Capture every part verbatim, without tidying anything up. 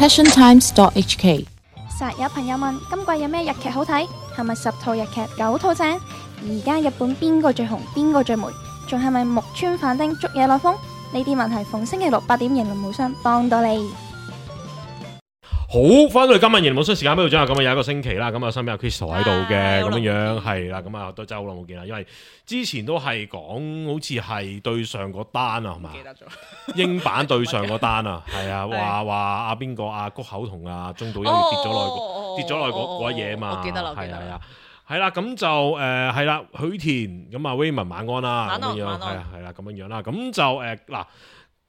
passion times dot h k。 實有朋友問今季有咩日劇好睇？係咪十套日劇九套正？而家日本邊個最紅？邊個最霉？仲係咪木村反町捉野內風？呢啲問題逢星期六八點型輪無雙幫到你。好，翻到嚟今日型無雙時間喺度講，咁啊有一個星期啦，咁啊身邊有 Crystal 喺度嘅，咁樣樣係啦，咁啊都真係好耐冇見啦，因為之前都係講好似係對上嗰單啊，係嘛？記得咗英版對上嗰單啊，係啊，話話阿邊個阿谷口同阿中島優月跌咗落去，跌咗落去嗰嗰一嘢啊嘛，我記得啦，係啊，係啦，咁就誒係啦，許田咁啊 Raymond 晚安啦，咁樣樣係啊係啦，咁樣樣啦，咁就誒嗱，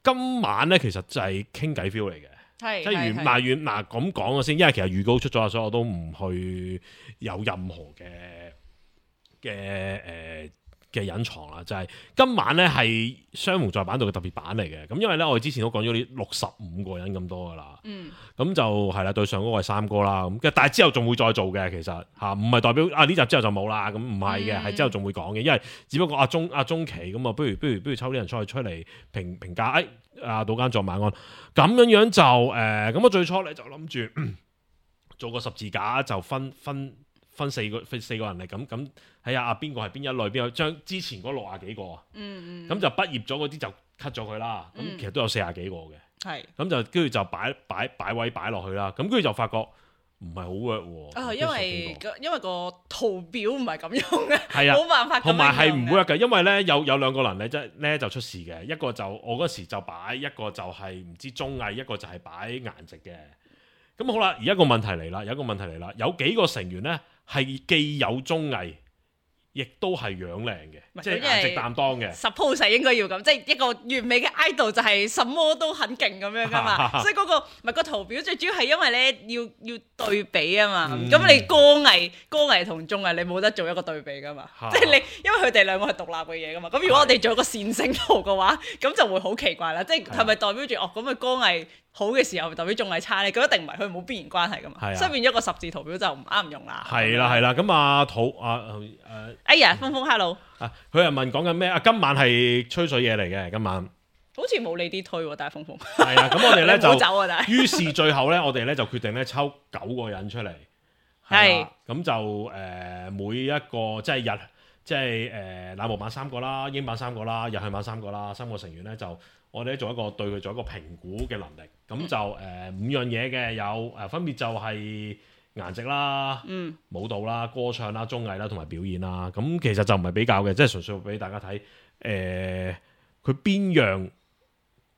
今晚咧其實就係傾偈 feel 嚟嘅。係即係完嗱完嗱咁講嘅先，因為其實預告出咗，所以我都唔去有任何嘅嘅誒嘅隱藏啦。就係、是、今晚咧係雙雄在版度嘅特別版嚟嘅。咁因為咧我哋之前都講咗呢六十五個人咁多噶啦，嗯，咁就係啦，對上嗰個係三哥啦。咁但係之後仲會再做嘅，其實嚇唔係代表啊呢集之後就冇啦。咁唔係嘅，係、嗯、之後仲會講嘅。因為只不過阿中阿中期咁啊，不如不如不如抽啲人出去出嚟評評價，誒阿島間作晚安咁樣樣就誒咁、呃、我最初咧就諗住做個十字架，就分分分四個分四個人嚟咁咁睇下阿邊個係邊一類，邊個將之前嗰六廿幾個啊，嗯嗯，咁就畢業咗嗰啲就 cut 咗佢啦。咁、嗯、其實都有四廿幾個嘅，係咁就跟住就擺擺擺位擺落去啦。咁跟住就發覺唔係好 work 喎。啊，因為因為個圖表唔係咁用嘅，係啊，冇辦法咁樣用嘅。同埋係唔 work 嘅，因為咧有有兩個人咧即係咧就出事嘅，一個就我嗰時就擺，一個就係唔知綜藝，一個就係擺顏值嘅。咁好啦，而家個問題嚟啦，有一個問題嚟啦，有幾個成員咧係既有綜藝，亦都係樣靚嘅，即係顏值擔當嘅。Suppose 應該要咁，即係一個完美嘅 idol 就係什麼都很勁咁樣噶嘛。所以嗰、嗰個唔係個圖表最主要係因為咧要要對比啊嘛。咁、嗯、你歌藝歌藝同綜藝你冇得做一個對比噶嘛。即係你因為佢哋兩個係獨立嘅嘢噶嘛。咁如果我哋做一個線性圖嘅話，咁就會好奇怪啦。即係係咪代表住哦咁嘅歌藝好嘅時候代表綜藝差咧？咁一定唔係，佢冇必然關係噶嘛。所以變咗個十字圖表就唔啱唔用啦。係啦係啦，咁啊土啊誒。哎呀，峰峰 hello。啊！佢又問講緊咩啊？今晚係吹水嘢嚟嘅，今晚好似冇你啲推喎，但係峰峰係啊！咁我哋咧就走啊！但係於是最後咧，我哋咧就決定咧抽九個人出嚟，係咁就誒、呃、每一個即係日即係誒乃木坂三個啦，英版三個啦，日向版三個啦，三個成員咧就我哋做一個對佢做一個評估嘅能力，咁就誒、呃、五樣嘢嘅有誒、呃、分別就係、是。顏值啦、嗯、舞蹈啦、歌唱啦、綜藝啦同埋表演啦，咁其實就唔係比較嘅，即係純粹俾大家睇誒佢邊樣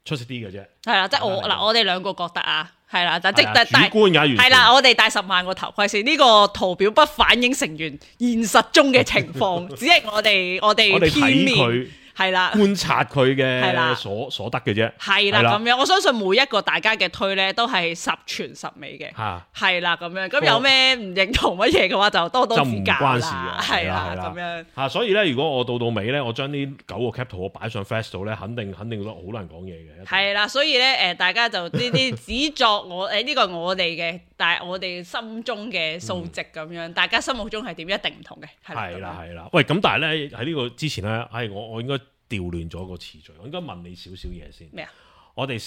出色啲嘅啫。係啦，即係我嗱，我哋兩個覺得啊，係啦，但即係主觀嘅，係啦，我哋戴十萬個頭盔先，呢、這個圖表不反映成員現實中嘅情況，只係我哋我哋片面。係啦，觀察佢嘅所所得嘅啫。係啦，咁樣我相信每一個大家嘅推咧都係十全十美嘅。嚇，係啦，咁樣咁有咩唔認同乜嘢嘅話，就多多指教啦。就唔關事嘅，係啦，咁樣嚇。所以咧，如果我到到尾咧，我將呢九個 cap 圖我擺上 Fast 度咧，肯定肯定都好多人講嘢嘅。係啦，所以咧誒，大家就呢啲只作我誒呢個我哋嘅，但係我哋心中嘅數值咁樣，嗯、大家心目中係點一定唔同嘅。係啦，係啦。喂，咁但係咧喺呢個之前咧，係我我應該。調亂咗個詞序，我應該問你少少嘢先。咩啊？我哋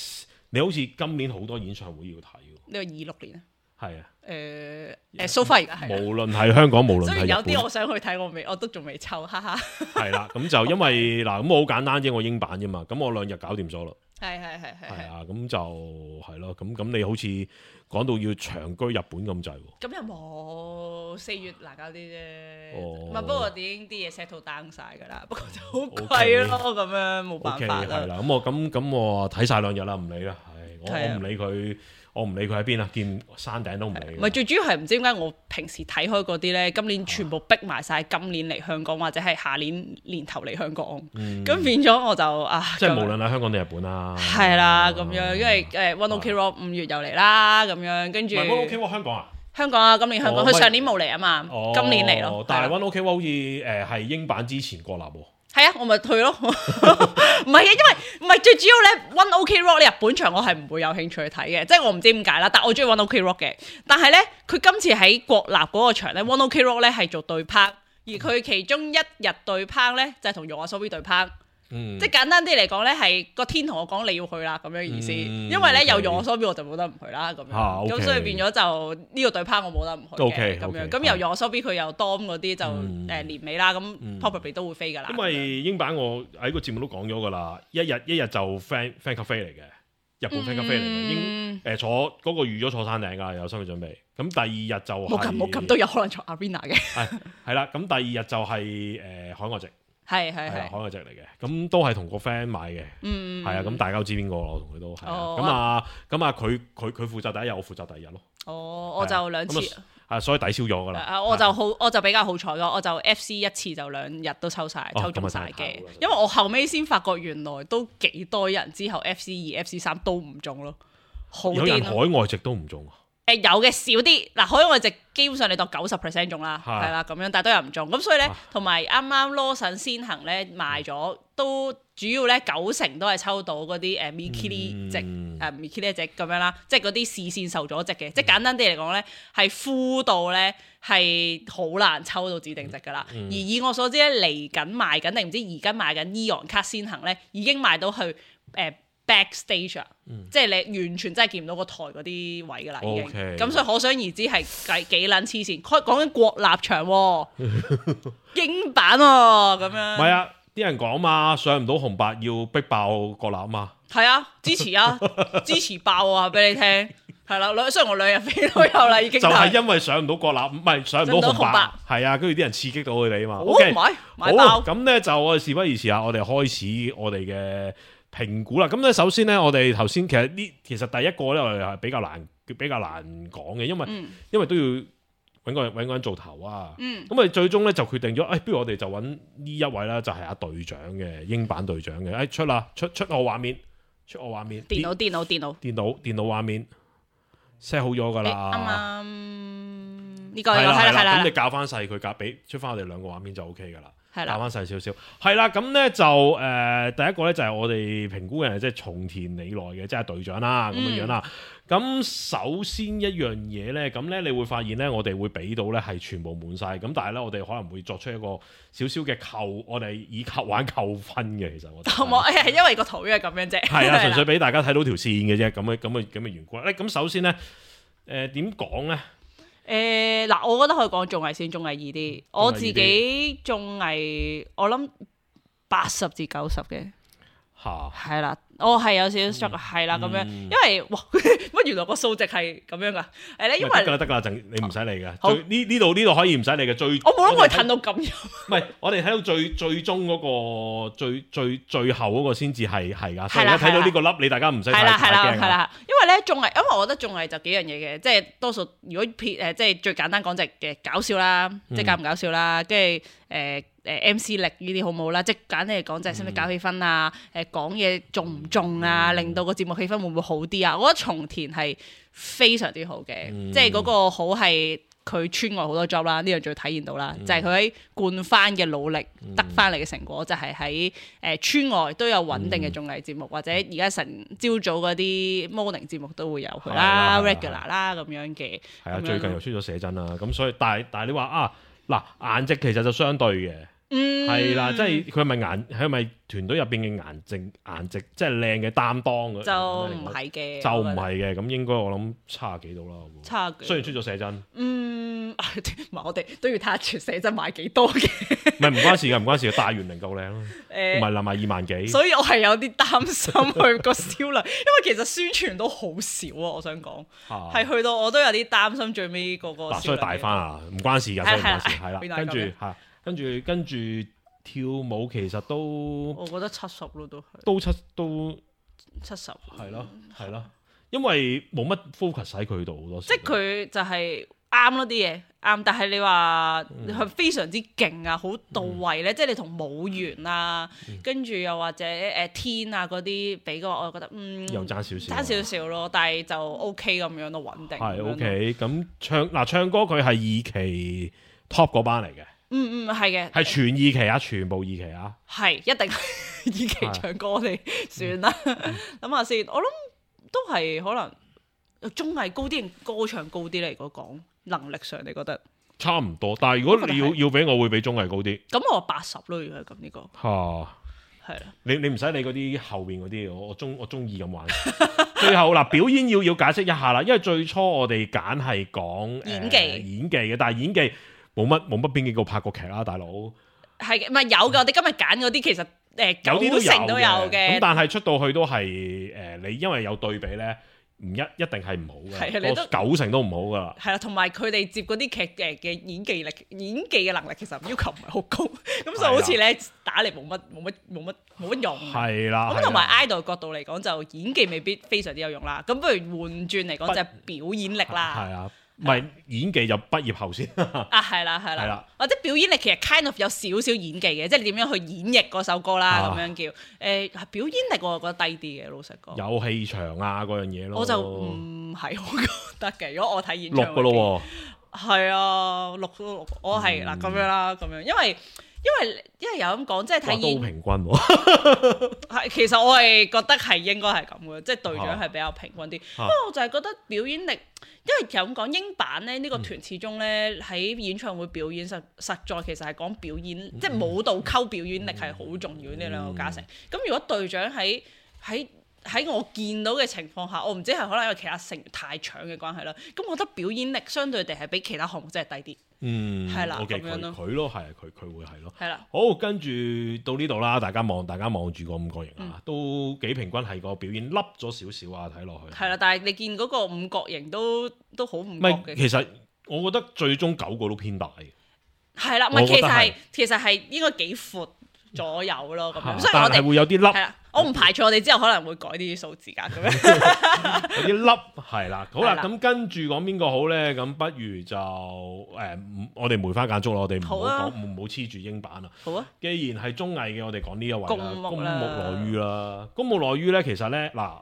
你好似今年好多演唱會要睇喎。呢個二六年啊？係啊。誒誒，so far 而家係。無論係香港，無論係日本。所以有啲我想去睇，我未，我都仲未抽，哈哈。係啦，咁就因為嗱，咁我好簡單啫，我英版啫嘛，咁我兩日搞掂咗啦。係係係係。係啊，咁就係咯，咁咁你好似講到要長居日本咁滯喎。咁又冇四月難搞啲啫。哦。唔係，不過已經啲嘢 settle down 晒㗎啦，不過就好貴咯，咁樣冇辦法啦。係啦，咁我咁咁我睇晒兩日啦，唔理啦，係我我唔理佢。我唔理佢喺邊啊，見山頂都唔理。唔係最主要係唔知點解我平時睇開嗰啲咧，今年全部逼埋晒，今年嚟香港或者係下年年頭嚟香港，咁、嗯、變咗我就啊，即係無論喺香港定日本啦。係啦，咁樣因為誒 One Ok Rock 五月又嚟啦，咁樣跟住。One Ok Rock 香港啊？香港啊，今年香港，佢、哦、上年冇嚟啊嘛，哦、今年嚟咯。但係 One Ok Rock 好似誒係英版之前國立喎。係啊，我咪退咯，唔係啊，因為唔係最主要咧，One Ok Rock 咧日本場我係唔會有興趣去睇嘅，即係我唔知點解啦，但我中意 One Ok Rock 嘅。但係咧，佢今次喺國立嗰個場咧，One Ok Rock 咧係做對拍，而佢其中一日對拍咧就係同 YOASOBI 對拍。嗯、即係簡單啲嚟講咧，係個天同我講你要去啦咁樣意思。嗯、因為咧 okay, 有 YOASOBI 我就冇得唔去啦咁樣。咁、啊 okay, 所以變咗就呢、呢個對 part 我冇得唔去嘅咁樣。咁由 YOASOBI佢又 Dom 嗰啲就誒、嗯呃、年尾啦，咁 probably 都會飛㗎啦。因為英版我喺個節目都講咗㗎啦，一日一日就 fan fan 級飛嚟嘅。日本飛機飛嚟嘅，應誒坐嗰個預咗坐山頂㗎，有心理準備。咁第二日就係冇咁冇咁都有可能坐 Arena 嘅。係係啦，咁第二日就係誒海外籍，係係係海外籍嚟嘅。咁都係同個 friend 買嘅，係啊。咁大家都知邊個咯，我同佢都係。咁啊咁啊，佢佢佢負責第一日，我負責第二日咯。哦，我就兩次。啊，所以抵消咗㗎啦。我就好，我就比較好彩咯。我就 F C 一次就兩日都抽晒，抽中晒嘅。因為我後尾先發覺原來都幾多人之後 F C 二、F C 三都唔中咯。好有人海外籍都唔中啊？誒有嘅少啲。嗱，海外籍基本上你當九十 percent 中啦，係啦咁樣，但係都有唔中。咁所以咧，同埋啱啱 Lawson 先行咧賣咗，都主要咧九成都係抽到嗰啲誒 Mikili 籍誒 Mikili 籍咁樣啦，即係嗰啲視線受阻籍嘅。即係簡單啲嚟講咧，係敷到咧係好難抽到指定席㗎啦。而以我所知咧，嚟緊賣緊定唔知而家賣緊 Eon 卡先行咧，已經賣到去誒。呃backstage 啊，嗯、即係你完全真係見唔到個台嗰啲位㗎啦，已經。咁 Okay. 所以可想而知係幾幾撚黐線。講講緊國立場喎，英版喎咁樣。唔係啊，啲人講嘛，上唔到紅白要逼爆國立啊嘛。係啊，支持啊，支持爆啊，俾你聽。係啦，兩雖然我兩日飛都有啦，已經。就係因為上唔到國立，唔係上唔到紅白，係啊，跟住啲人刺激到佢哋啊嘛。O K，買買爆。咁咧就我哋事不宜遲啊，我哋開始我哋嘅評估啦，咁咧首先咧，我哋頭先其實呢，其實第一個咧，我哋係比較難比較難講嘅，因為、嗯、因為都要揾個揾個人做頭啊。咁啊、嗯，最終咧就決定咗，誒、哎，不如我哋就揾呢一位啦，就係阿隊長嘅英版隊長嘅，誒、哎、出啦，出出我畫面，出我畫面，電腦電腦電腦電腦電腦畫面 set 好咗噶啦。啱啱呢個係啦係啦，咁你校翻細佢，校俾出翻我哋兩個畫面就 O K 噶啦。打翻細少少，係啦，咁咧就誒、呃、第一個咧就係我哋評估嘅人，即係松田李奈嘅，即係隊長啦，咁樣樣啦。咁、嗯、首先一樣嘢咧，咁咧你會發現咧，我哋會俾到咧係全部滿晒，咁但係咧我哋可能會作出一個少少嘅扣，我哋以扣玩扣分嘅，其實我哋。冇，係因為個圖係咁樣啫。係啊，純粹俾大家睇到條線嘅啫，咁嘅咁嘅咁嘅緣故。咧，咁首先咧，誒點講咧？誒嗱、呃，我覺得可以講綜藝先，綜藝易啲。我自己綜藝，我諗八十至九十嘅，嚇係啦。我係有少少 shock，係啦咁樣，因為哇乜原來個數值係咁樣噶？誒咧，因為得㗎啦，得㗎啦，陣你唔使理嘅。最呢呢度呢度可以唔使理嘅。最我冇諗過褪到咁樣。唔係，我哋睇到最最終嗰個最最最後嗰個先至係係㗎。係啦，睇到呢個粒，你大家唔使太驚。係啦係啦，因為咧綜藝，因為我覺得綜藝就幾樣嘢嘅，即係多數如果撇誒，即係最簡單講就嘅搞笑啦，即係搞唔搞笑啦，跟住誒。誒 M C 力呢啲好冇啦，即係簡單嚟講就係識唔識搞氣氛啊，誒講嘢重唔重啊，嗯、令到個節目氣氛會唔會好啲啊？我覺得松田係非常之好嘅，嗯、即係嗰個好係佢村外好多 job 啦，呢樣最體現到啦，嗯、就係佢喺灌翻嘅努力得翻嚟嘅成果，嗯、就係喺誒村外都有穩定嘅綜藝節目，嗯、或者而家晨朝早嗰啲 morning 節目都會有佢啦 regular 啦咁樣嘅。係啊，最近又出咗寫真啦，咁所以但係但係你話啊嗱顏值其實就相對嘅。嗯，係啦，即係佢係咪顏，佢係咪團隊入邊嘅顏值顏值，即係靚嘅擔當嘅？就唔係嘅，就唔係嘅，咁應該我諗差幾度啦。差幾，雖然出咗寫真。嗯，唔係我哋都要睇下出寫真賣幾多嘅。唔係唔關事㗎，唔關事嘅，大元齡夠靚咯。誒，唔係嗱賣二萬幾。所以我係有啲擔心佢個銷量，因為其實宣傳都好少啊。我想講係去到我都有啲擔心最尾嗰個。嗱，所以大翻啊，唔關事㗎，所以唔關事，係啦，跟住嚇。跟住跟住跳舞其實都，我覺得七十咯都係，都七都七十，係咯係咯，因為冇乜 focus 喺佢度好多時。即係佢就係啱咯啲嘢啱，但係你話佢非常之勁啊，好到位咧。嗯、即係你同舞員啊，嗯、跟住又或者誒天啊嗰啲比個，我覺得嗯又爭少少，爭少少咯，但係就 OK 咁樣咯，穩定。係 OK，咁唱嗱唱歌佢係二期 top 嗰班嚟嘅。嗯嗯，係嘅，係全二期啊，全部二期啊，係一定二期唱歌，我哋算啦。諗下先，我諗都係可能綜藝高啲定歌唱高啲嚟講，能力上你覺得差唔多。但係如果你要要俾我，會俾綜藝高啲。咁我八十咯，如果係咁呢個。嚇，係啦，你你唔使理嗰啲後邊嗰啲，我我中我中意咁玩。最後嗱，表演要要解釋一下啦，因為最初我哋揀係講演技、呃、演技嘅，但係演技冇乜冇乜邊幾個拍過劇啦，大佬。係嘅，唔係有嘅。我哋今日揀嗰啲其實誒九成都有嘅，咁但係出到去都係誒、呃、你因為有對比咧。唔一一定係唔好嘅，係啊，你都九成都唔好噶啦。係啦，同埋佢哋接嗰啲劇嘅嘅演技力、演技嘅能力其實要求唔係好高，咁所以好似咧打嚟冇乜冇乜冇乜冇乜用。係啦，咁同埋 idol 角度嚟講，就演技未必非常之有用啦。咁不如換轉嚟講就係表演力啦。係啊。唔係演技就畢業後先啊，係啦係啦，或者表演力其實 kind of 有少少演技嘅，即係你點樣去演繹嗰首歌啦，咁、啊、樣叫誒、呃、表演力我覺得低啲嘅，老實講。有氣場啊嗰樣嘢咯。我就唔係好覺得嘅，如果我睇演唱會。錄㗎咯喎。係啊，錄都錄，我係嗱咁樣啦，咁樣，因為。因為因為有咁講，即係睇演都平均喎。係其實我係覺得係應該係咁嘅，即係隊長係比較平均啲。不過、啊、我就係覺得表演力，因為有咁講英版咧，呢、呢個團始終咧喺演唱會表演實實在其實係講表演，嗯、即係舞蹈溝表演力係好重要呢、嗯、兩個加成。咁如果隊長喺喺喺我見到嘅情況下，我唔知係可能因為其他成員太搶嘅關係啦。咁我覺得表演力相對地係比其他項目真係低啲。嗯，係啦，咁樣咯，佢咯，係佢佢會係咯，係啦。好，跟住到呢度啦，大家望，大家望住個五角形啊，嗯、都幾平均，係個表演凹咗少少啊，睇落去。係啦，但係你見嗰個五角形都都好五角嘅。其實我覺得最終九個都偏大嘅。係啦，唔係其實係其實係應該幾闊左右咯，咁樣，所以我哋會有啲凹。係啦，我唔排除我哋之後可能會改啲數字㗎，咁樣有啲凹係啦。好啦，咁跟住講邊個好咧？咁不如就誒，我哋梅花間竹啦，我哋唔好講，唔好黐住英版啦。好啊。既然係綜藝嘅，我哋講呢一位啦，公木羅於啦。公木羅於咧，其實咧嗱，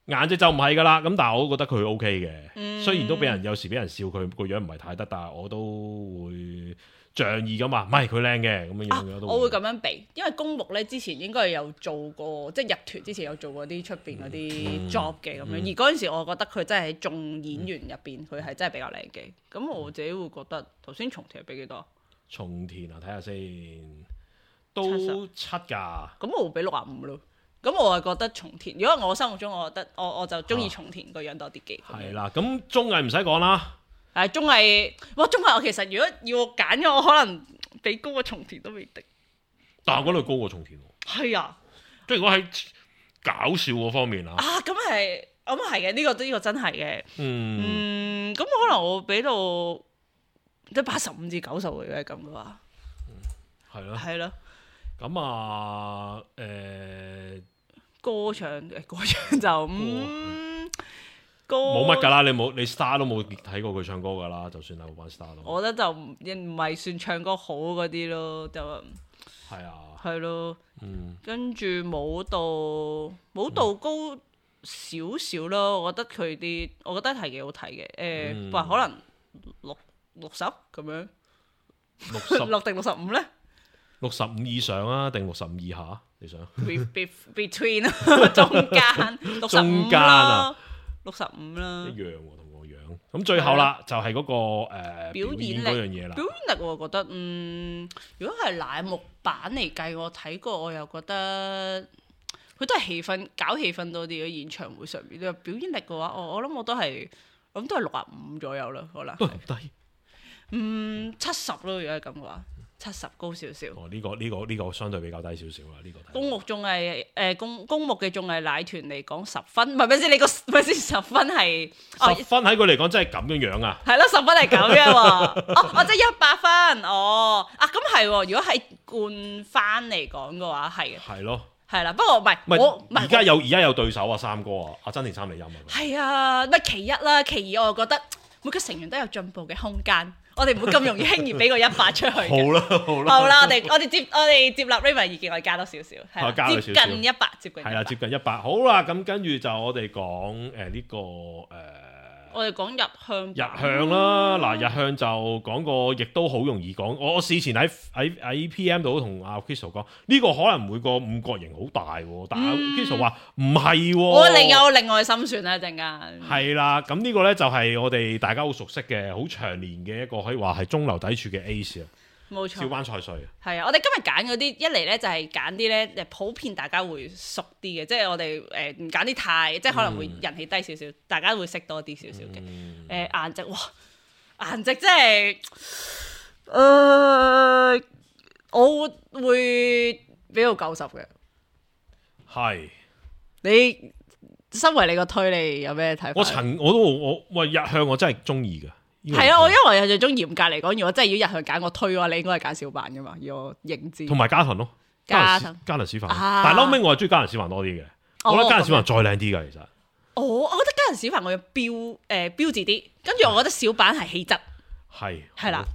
顏值就唔係㗎啦。咁但係我都覺得佢 O K 嘅，雖然都俾人有時俾人笑佢個樣唔係太得，但係我都會。仗義咁話，唔係佢靚嘅咁樣樣都。我會咁樣比，因為公木咧之前應該係有做過，即係入團之前有做過啲出邊嗰啲 job 嘅咁樣。嗯、而嗰陣時，我覺得佢真係喺眾演員入邊，佢係真係比較靚嘅。咁我自己會覺得，頭先松田係俾幾多？松田啊，睇下先，都七㗎。咁我會俾六啊五咯。咁我係覺得松田，如果我心目中，我覺得我我就中意松田個樣多啲嘅。係啦、啊，咁綜藝唔使講啦。誒綜藝，哇！綜藝我其實如果要我揀嘅，我可能比高過松田都未定。但係我覺得高過松田喎。係啊，即係如果喺搞笑嗰方面啊。啊，咁係，咁係嘅，呢個呢個真係嘅。嗯。咁、嗯、可能我俾到即係八十五至九十嘅咁嘅話。嗯，係咯。係咯。咁啊，誒、呃，歌唱誒歌唱就嗯。冇乜㗎啦，你冇你 Star 都冇睇過佢唱歌㗎啦，就算係玩 Star 都。我覺得就唔唔係算唱歌好嗰啲咯，就係啊，係咯，嗯，跟住舞蹈舞蹈高少少咯，我覺得佢啲我覺得係幾好睇嘅，誒，話可能六六十咁樣，六十六定六十五咧？六十五以上啊，定六十五以下？你想 ？Between 中間六十五啦。六十五啦，一樣喎，同我樣。咁最後啦，就係嗰個誒表演嗰樣嘢啦。表演力我覺得，嗯，如果係乃木坂嚟計，我睇過，我又覺得佢都係氣氛搞氣氛多啲。喺演唱會上面，你話表演力嘅話，我我諗我都係，咁都係六啊五左右啦，可能。都唔低。嗯，七十咯，如果係咁嘅話。七十高少少。哦，呢、這個呢、這個呢、這個相對比較低少少啦，呢、這個。公目綜藝誒公公目嘅綜藝奶團嚟講十分，唔係咪先？你個咪先十分係十分喺佢嚟講真係咁樣樣啊？係咯，十分係咁樣喎。哦，哦，即係一百分。哦，啊咁係喎。如果係冠番嚟講嘅話，係。係咯。係啦，不過唔係我唔係而家有而家有對手啊，三哥啊，阿真田三利音啊。係啊，乜其一啦，其二我又覺得每個成員都有進步嘅空間。我哋唔會咁容易輕易俾個一百出去。好啦，好啦，好啦，我哋我哋接我哋接納 Raymond 意見，我哋加多少少，係接近一百，接近係啦，接近一百。好啦，咁跟住就我哋講誒呢個誒。呃我哋講日向，日向啦，嗱、嗯、日向就講過，亦都好容易講。我我事前喺喺喺 P M 度同阿 Crystal 講，呢、這個可能每個五角形好大，但係 Crystal 話唔係，我另有另外心算啦，一陣間。係啦，咁呢個咧就係我哋大家好熟悉嘅、好長年嘅一個可以話係中流砥柱嘅 Ace 啊。冇錯，小班菜穗。係啊，我哋今日揀嗰啲一嚟咧就係揀啲咧誒普遍大家會熟啲嘅，即係我哋誒唔揀啲太即係可能會人氣低少少，嗯、大家會識多啲少少嘅誒顏值，哇顏值真係誒、呃、我會俾到九十嘅。係你身為你個推，你有咩睇法？我曾我都我喂日向我真係中意嘅。係啊，我因為最終嚴格嚟講，如果真係要日向揀我推嘅話，你應該係揀小板噶嘛，以我認知。同埋加藤咯，加藤加藤史帆，但係後尾我係中意加藤史帆多啲嘅，我覺得加藤史帆再靚啲㗎，其實。哦，我覺得加藤史帆我要標誒標誌啲，跟住我覺得小板係氣質。係係啦，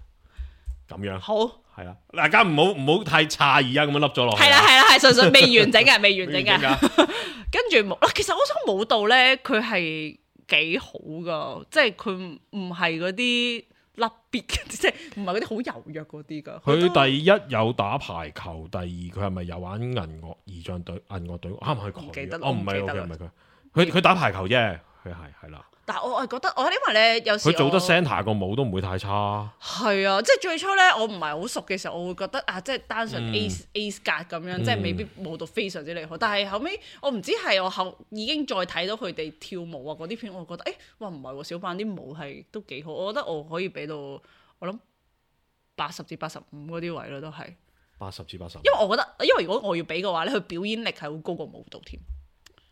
咁樣好係啦，大家唔好唔好太詫異啊，咁樣笠咗落去。係啦係啦係，純粹未完整嘅，未完整嘅。跟住舞，其實我想舞蹈咧，佢係。幾好噶，即係佢唔係嗰啲甩別，即係唔係嗰啲好柔弱嗰啲噶。佢第一有打排球，第二佢係咪有玩銀樂儀仗隊、銀樂隊？啱唔係佢？哦，唔係佢，唔係佢，佢佢打排球啫，佢係係啦。但係我係覺得，我因為咧有時佢做得 centre 個舞都唔會太差。係啊，即係最初咧，我唔係好熟嘅時候，我會覺得啊，即係單純 ace、嗯、ace 格咁樣，嗯、即係未必舞到非常之厲害。但係後尾我唔知係我後已經再睇到佢哋跳舞啊嗰啲片，我覺得誒、欸，哇唔係喎，小板啲舞係都幾好。我覺得我可以俾到我諗八十至八十五嗰啲位咯，都係八十至八十。因為我覺得，因為如果我要俾嘅話咧，佢表演力係會高過舞蹈添。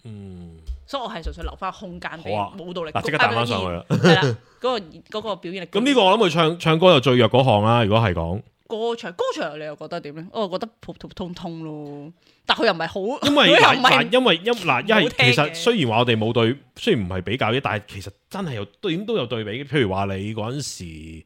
嗯，所以我係純粹留翻空間俾舞蹈力。嗱、啊，即刻彈翻上去啦。係啦，嗰、那個嗰、那個表演力。咁呢個我諗佢唱唱歌又最弱嗰項啦。如果係講歌唱，歌唱你又覺得點咧？我又覺得普普通通咯。但佢又唔係好，因為嗱，因為因嗱，因為其實雖然話我哋冇對，雖然唔係比較啫，但係其實真係有點都有對比。譬如話你嗰陣時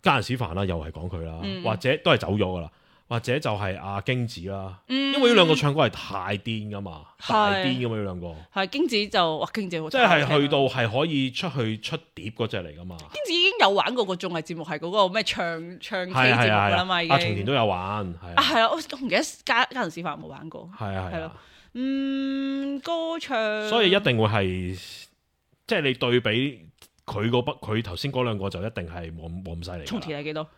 加藤史帆啦，又係講佢啦，嗯、或者都係走咗噶啦。或者就係阿京子啦，嗯、因為呢兩個唱歌係太癲噶嘛，是大癲噶嘛呢兩個。係京子就哇京子好，即係去到係可以出去出碟嗰隻嚟噶嘛。京子已經有玩過個綜藝節目，係嗰個咩唱唱 K 節目啦嘛。阿松田都有玩，係啊係啊，我我唔記得加加藤史帆有冇玩過。係啊係咯，嗯歌唱，所以一定會係即係你對比佢嗰筆，佢頭先嗰兩個就一定係冇冇咁犀利。松田係幾多？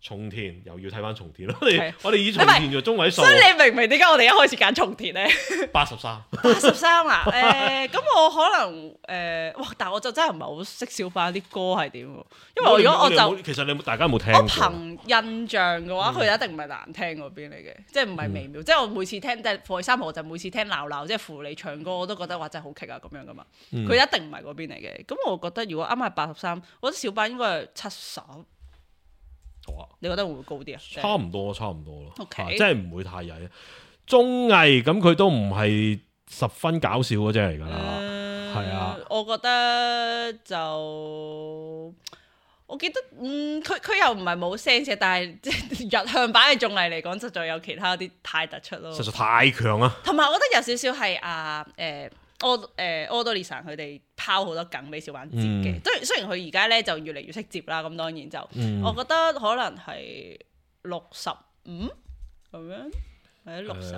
松田又要睇翻松田咯，我哋我哋以松田做中位數，所以你明唔明點解我哋一開始揀松田咧？八十三，八十三啊！誒、呃，咁我可能誒、呃，哇！但係我就真係唔係好識小板啲歌係點，因為我如果我就其實你大家有冇聽過？我憑印象嘅話，佢、嗯、一定唔係難聽嗰邊嚟嘅，即係唔係微妙。嗯、即係我每次聽即係火三號，就每次聽鬧鬧，即係扶你唱歌，我都覺得哇真係好棘啊咁樣噶嘛。佢、嗯、一定唔係嗰邊嚟嘅。咁我覺得如果啱啱係八十三，我覺得小板應該係七十。你覺得會唔會高啲啊？差唔多，差唔多咯。OK，即係唔會太曳。綜藝咁佢都唔係十分搞笑嗰隻嚟㗎啦。係、嗯、啊，我覺得就我記得，嗯，佢佢又唔係冇聲嘅，但係即係日向版嘅綜藝嚟講，實在有其他啲太突出咯。實在太強啊！同埋我覺得有少少係啊，誒、呃。我誒 Oddly 佢哋拋好多梗俾小板接嘅，雖、嗯、雖然佢而家咧就越嚟越識接啦，咁當然就，嗯、我覺得可能係六十五咁樣，或者六十，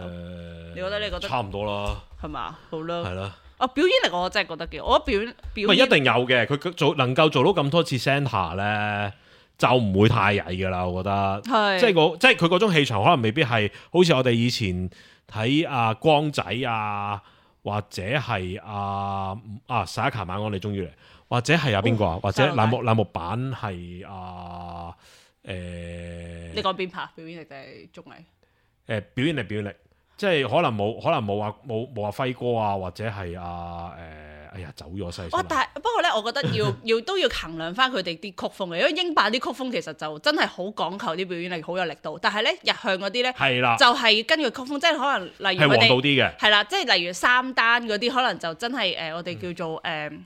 你覺得你覺得差唔多啦，係嘛？好啦，係啦。哦，表演力我真係覺得嘅，我覺得表演表演唔係一定有嘅，佢做能夠做到咁多次 centre 咧，就唔會太曳噶啦，我覺得，係即係個即係佢嗰種氣場可能未必係好似我哋以前睇阿光仔啊。或者係啊啊沙卡晚安你終於嚟，或者係啊邊個啊？或者欄目欄目版係啊誒？你講邊 part 表演力定係綜藝？誒、呃、表演力表演力，即係可能冇可能冇話冇冇話輝哥啊，或者係啊誒。呃哎呀，走咗西。哇！但係不過咧，我覺得要要都要衡量翻佢哋啲曲風嘅，因為英版啲曲風其實就真係好講求啲表演力，好有力度。但係咧，日向嗰啲咧，係啦，就係根據曲風，即係可能例如係王道啲嘅，係啦，即係例如三單嗰啲，可能就真係誒、呃，我哋叫做誒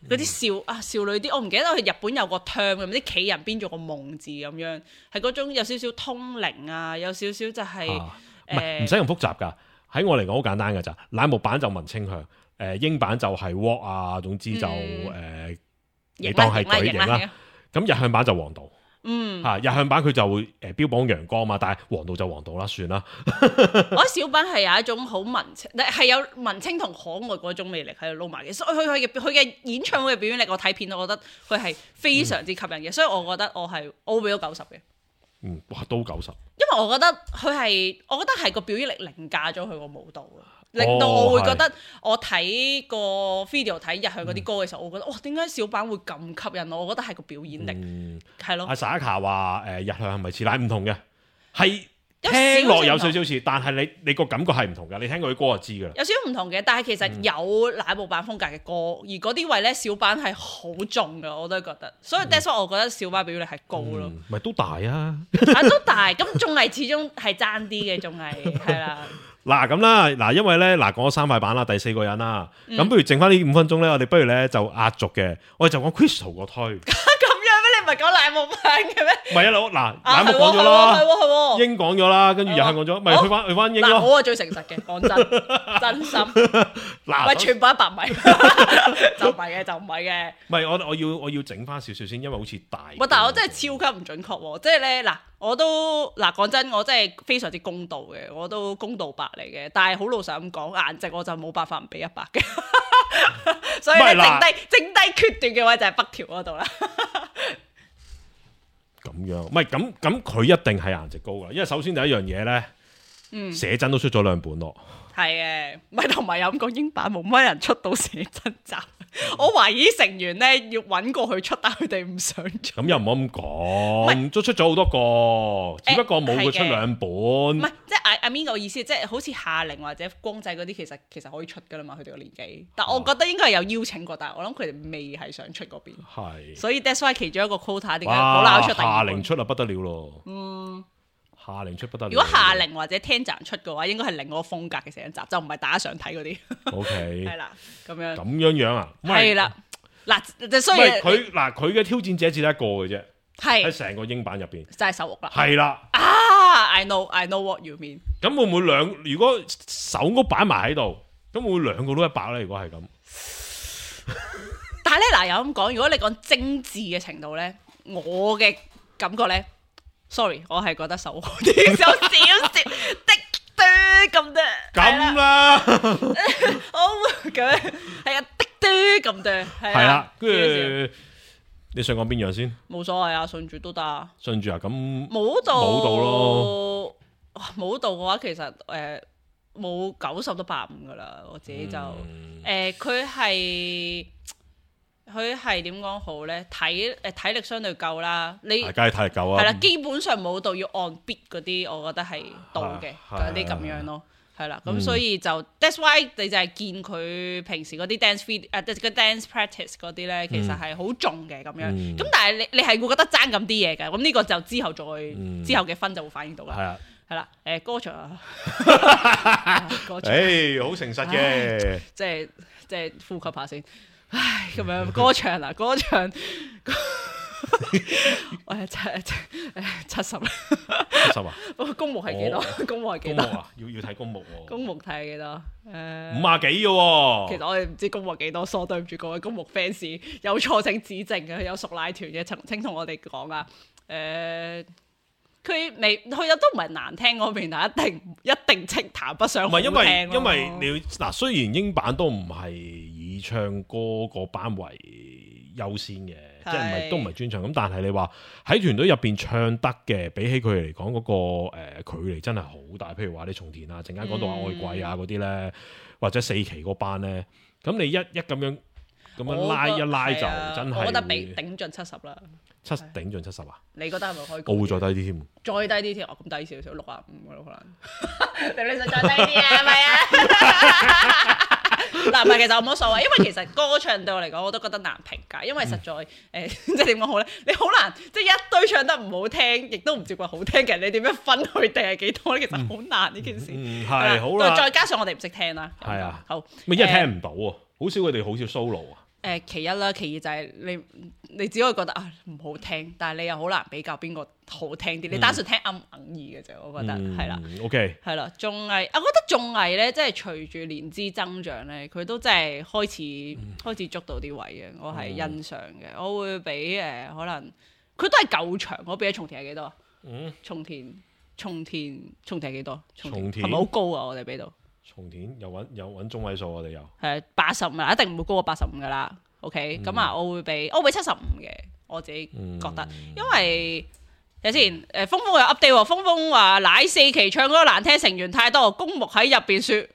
嗰啲少啊少女啲，我唔記得佢日本有個 term 咁啲企人編咗個夢字咁樣，係嗰種有少少通靈啊，有少少就係、是、誒，唔使咁複雜㗎。喺我嚟講好簡單㗎咋，乃木坂就文青向。誒、呃、英版就係 walk 啊，總之就誒、嗯呃、你當係舉型啦。咁日向版就王道，嗯嚇、啊、日向版佢就會誒、呃、標榜陽光嘛，但係王道就王道啦，算啦。我覺得小版係有一種好文青，係有文青同可愛嗰種魅力喺度撈埋嘅，所以佢佢嘅佢嘅演唱會嘅表演力，我睇片我覺得佢係非常之吸引嘅，嗯、所以我覺得我係我會俾到九十嘅。嗯，哇，都九十。因為我覺得佢係，我覺得係個表演力凌駕咗佢個舞蹈啊，令到我會覺得我睇個 video 睇日向嗰啲歌嘅時候，我覺得哇，點解小板會咁吸引我？我覺得係個表演力，係咯。阿 Saka 話誒日向係咪似奶唔同嘅？係。聽落有少少似，但係你你個感覺係唔同㗎。你聽過啲歌就知㗎啦。有少少唔同嘅，但係其實有乃木坂風格嘅歌，而嗰啲位咧小板係好重㗎，我都覺得。所以 that's why 我覺得小板表現力係高咯。咪、嗯、都大啊！啊都大，咁綜藝始終係爭啲嘅，綜藝係啦。嗱咁啦，嗱因為咧嗱講咗三塊板啦，第四個人啦，咁、嗯、不如剩翻呢五分鐘咧，我哋不如咧就壓軸嘅，我哋就講 Crystal 個推。唔係講乃木坂嘅咩？唔係啊，佬嗱，乃木講咗啦，係喎係喎，英講咗啦，跟住日向講咗，咪去翻去翻英咯。我係最誠實嘅，講真，真心。嗱，唔係全部一百米，就唔係嘅，就唔係嘅。唔係我我要我要整翻少少先，因為好似大。喂，但係我真係超級唔準確喎，即係咧嗱，我都嗱講真，我真係非常之公道嘅，我都公道白嚟嘅，但係好老實咁講，顏值我就冇辦法唔俾一百嘅，所以咧剩低剩低決斷嘅位就係北條嗰度啦。咁樣，唔係咁咁，佢一定係顏值高噶，因為首先第一樣嘢咧，嗯，寫真都出咗兩本咯，係嘅，唔係同埋有咁講英版冇乜人出到寫真集，我懷疑成員咧要揾過去出，但佢哋唔想出。咁又唔好咁講，都出咗好多個，只不過冇佢出兩本。唔係，即係阿阿 Min 個意思，即係好似夏玲或者光仔嗰啲，其實其實可以出噶啦嘛，佢哋個年紀。但我覺得應該係有邀請過，但係我諗佢哋未係想出嗰邊。係，所以 that's why 其中一個 quota 點解冇鬧出第二本？夏玲出啊不得了咯。嗯。夏玲出不得了。如果夏玲或者聽站出嘅話，應該係另一個風格嘅寫真集，就唔係大家想睇嗰啲。O K。係啦，咁樣。咁樣樣啊？係啦。嗱，就所以佢嗱佢嘅挑戰者只得一個嘅啫，係喺成個英版入邊，就係手屋啦。係啦。啊 ，I know I know what you mean。咁會唔會兩？如果手屋擺埋喺度，咁會唔會兩個都一百咧？如果係咁。但係咧，嗱又咁講，如果你講精緻嘅程度咧，我嘅感覺咧。Sorry， 我係覺得手好啲，有少少的嘟咁多，咁啦，好咁係啊，的嘟咁多，係啦，跟住你想講邊樣先？冇所謂啊，順住都得。順住啊，咁舞蹈舞蹈咯，舞蹈嘅話其實誒冇九十都八五噶啦，我自己就誒佢係。佢係點講好咧？體誒體力相對夠啦，你梗係體力夠啊。係啦，基本上舞蹈要按 beat 嗰啲，我覺得係到嘅嗰啲咁樣咯。係啦，咁、嗯、所以就 that's why 你就係見佢平時嗰啲 dance video 誒，即係個 dance practice 嗰啲咧，其實係好重嘅咁樣。咁、嗯、但係你你係會覺得爭咁啲嘢嘅，咁呢個就之後再、嗯、之後嘅分就會反映到啦。係啊，係啦，誒歌唱啊，歌唱，誒好誠實嘅，即係即係呼吸下先。唉，咁樣歌唱啊，歌唱，我係七誒七十啦，七十啊？公目係幾多？公目係幾多啊？要要睇公目喎。公目睇係幾多？誒，五啊幾嘅喎。其實我哋唔知公目幾多，所以對唔住各位公目 fans，有錯請指正嘅，有熟奶團嘅請請同我哋講啊。誒，佢未去到都唔係難聽嗰邊，但一定一定稱談不上好聽。唔係因為因為你嗱，雖然英版都唔係以唱歌嗰班為優先嘅，即係唔係都唔係專唱咁，但係你話喺團隊入邊唱得嘅，比起佢哋嚟講嗰個誒、呃、距離真係好大。譬如話你松田啊，陣間講到話愛貴啊嗰啲咧，或者四期嗰班咧，咁你一一咁樣咁樣拉一拉就真係，我覺得比頂盡七十啦。七頂盡七十啊？你覺得係咪可以？我會再低啲添，再低啲添，哦咁低少少，六啊五咯可能。你你想再低啲啊？係咪啊？嗱，唔係，其實我冇所謂，因為其實歌唱對我嚟講，我都覺得難評價，因為實在誒、嗯呃，即係點講好咧？你好難，即係一堆唱得唔好聽，亦都唔接話好聽嘅，你點樣分佢哋係幾多咧？其實好難呢、嗯、件事。嗯，係好啦。再加上我哋唔識聽啦。係啊。好。咪一聽唔到啊！好少佢哋好少 solo 啊。誒、呃，其一啦，其二就係你，你只可以覺得啊唔好聽，但係你又好難比較邊個好聽啲。嗯、你單純聽暗硬耳嘅啫，我覺得係啦。OK，係啦，綜藝，我覺得綜藝咧，即係隨住年資增長咧，佢都真係開始、嗯、開始捉到啲位嘅，我係欣賞嘅。嗯、我會俾誒、呃，可能佢都係夠長。我俾咗松田係幾多？嗯，松田，松田，松田係幾多？松田係咪好高啊？我哋俾到。松田又揾又揾中位數，我哋又係八十五啦，一定唔會高過八十五噶啦。OK，咁啊、嗯，我會俾我會俾七十五嘅，我自己覺得，嗯、因為睇先，誒峰峰有 update 喎，峰峰話奶四期唱歌難聽，成員太多，公牧喺入邊説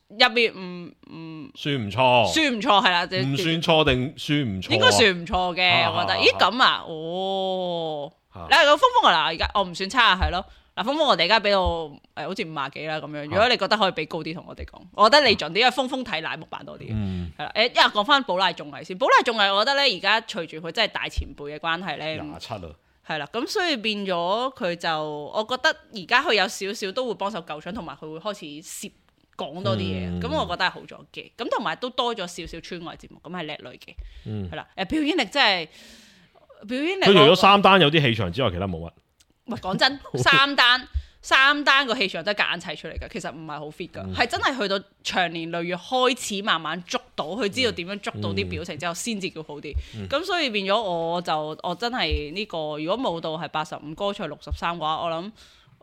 入邊唔唔算唔錯，算唔錯係啦，唔算錯定算唔錯？應該算唔錯嘅，啊我覺得。咦咁啊，哦，啊你係個峰峰啊嗱，而家我唔算差係咯。嗱，峰峰我哋而家俾到誒好似五廿幾啦咁樣。如果你覺得可以俾高啲，同我哋講，我覺得你盡啲，因為峰峰睇奶木版多啲。嗯，係啦，誒，因為講翻寶麗綜藝先，寶麗綜藝我覺得咧，而家隨住佢真係大前輩嘅關係咧，廿七啊，係啦，咁所以變咗佢就，我覺得而家佢有少少都會幫手救場，同埋佢會開始攝講多啲嘢，咁、嗯、我覺得係好咗嘅。咁同埋都多咗少少村外節目，咁係叻女嘅。嗯，係啦，誒表演力真係表演力。佢除咗三單有啲氣場之外，其他冇乜。唔係講真，三單三單個氣場都係夾硬砌出嚟㗎，其實唔係好 fit 㗎，係、嗯、真係去到長年累月開始慢慢捉到，佢知道點樣捉到啲表情之後，先至叫好啲。咁、嗯、所以變咗我就我真係呢、這個，如果舞蹈係八十五，歌唱六十三嘅話，我諗。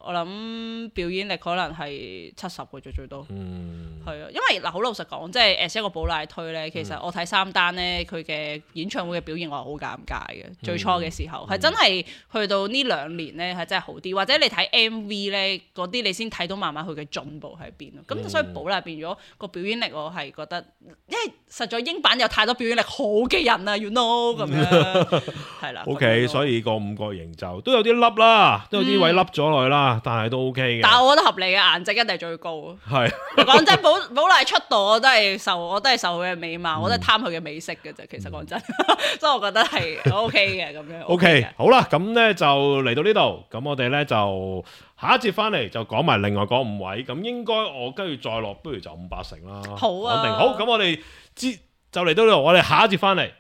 我諗表演力可能係七十嘅啫，最多。嗯，係啊，因為嗱，好老實講，即係誒，一個寶麗推咧，其實我睇三單咧，佢嘅演唱會嘅表現我係好尷尬嘅。嗯、最初嘅時候係、嗯、真係去到呢兩年咧，係真係好啲。或者你睇 M V 咧，嗰啲你先睇到慢慢佢嘅進步喺邊咯。咁、嗯、所以寶麗變咗個表演力，我係覺得，因為實在英版有太多表演力好嘅人啊 ，you know 咁樣係啦。O K， 所以個五角形就都有啲凹啦，都有啲位凹咗落去啦。嗯但係都 OK 嘅，但係我覺得合理嘅顏值一定係最高。係講真，寶寶麗出道我都係受，我都係受佢嘅美貌，嗯、我都係貪佢嘅美色嘅啫。其實講真，嗯、所以我覺得係 OK 嘅咁樣。OK，好啦，咁咧就嚟到呢度，咁我哋咧就下一節翻嚟就講埋另外嗰五位。咁應該我跟住再落，不如就五百成啦。好啊，好，咁我哋知就嚟到呢度，我哋下一節翻嚟。